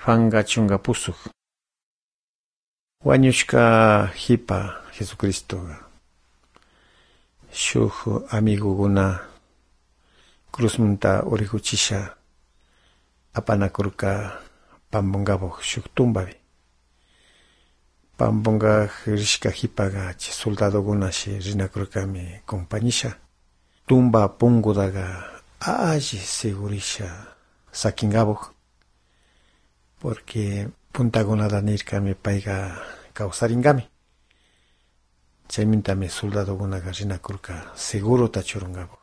Juanqa chunka pusuq. Wañushka hipa Jesucristoqa shuk amigukuna cruzmunta urikuchisha apanakurka Pampunkapak shuk tumbapi. Pampunkak rishka hipaqa chay soldadokunashi rinakurkami compañisha. Tumba punkutaqa alli segurisha sakinkapak. Porque puntakunata nirkami payqa kawsarinkami. Chaymantami soldadokunaqa rinakurka segurota churunkapak.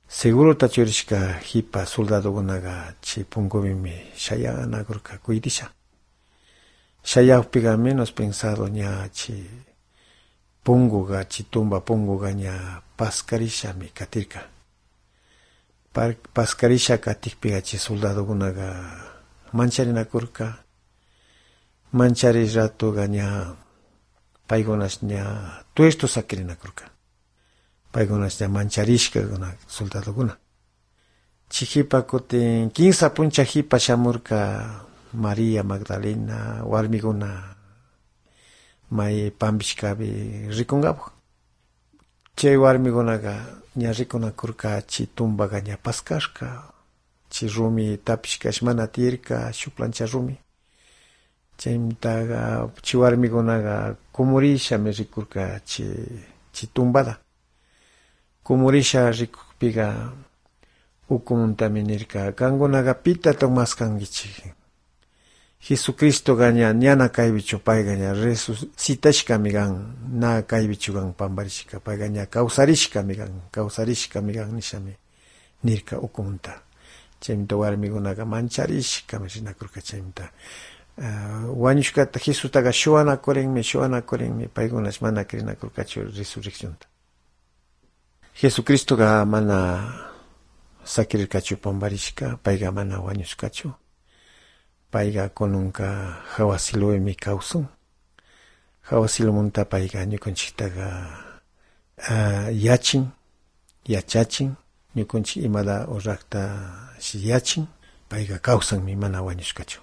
Segurota churishka hipa soldadokunaqa chay punkupimi shayanakurka kuydisha. Shayakpiqa menos pensado ña chay punkuqa chay tumba punkuqa ña paskarishami katirka. Paskarisha katikpiqa chay soldadokunaqa mancharinakurka. Manchari ratuqa ña paykunash ña tuesto sakirinakurka. Paykunash ña mancharishka soldadokuna. Chay hipa kutin 15 puncha hipa shamurka María Magdalena warmikuna may pampishkapi rikunkapak. Chay warmikunaqa ña rikunakurka chay tumbaqa ña paskashka. Chay rumi tapishkash mana tiyarka shuk plancha rumi. Chaymtaqa chay warmikunaqa kumurishami rikurka chay tumbada. Kumurisha rikukpiqa ukuntami nirka kankunaqa pitata maskankichik. Jesucristoqa ñana kaypichu payqa ña resucitashkami kan, na kaypichu kan pamparishka. Payqa ña kawsarishkami kan nishami nirka ukunta. Chaymanta warmikunaqa mancharishkami rinakurka chaymanta. Wañushkata Jesustaqa shuanakurinmi paykunash mana krinakurkachu resurreccionta. Jesucristoqa mana sakirirkachu pamparishka, payqa mana wañushkachu. Payqa kununka hawasiluemi kawsun. Hawasilumunta payqa ñukanchiktaqa yachachin, ñukanchik imada uraqta yachin, payqa kawsanmi mana wañushkachu.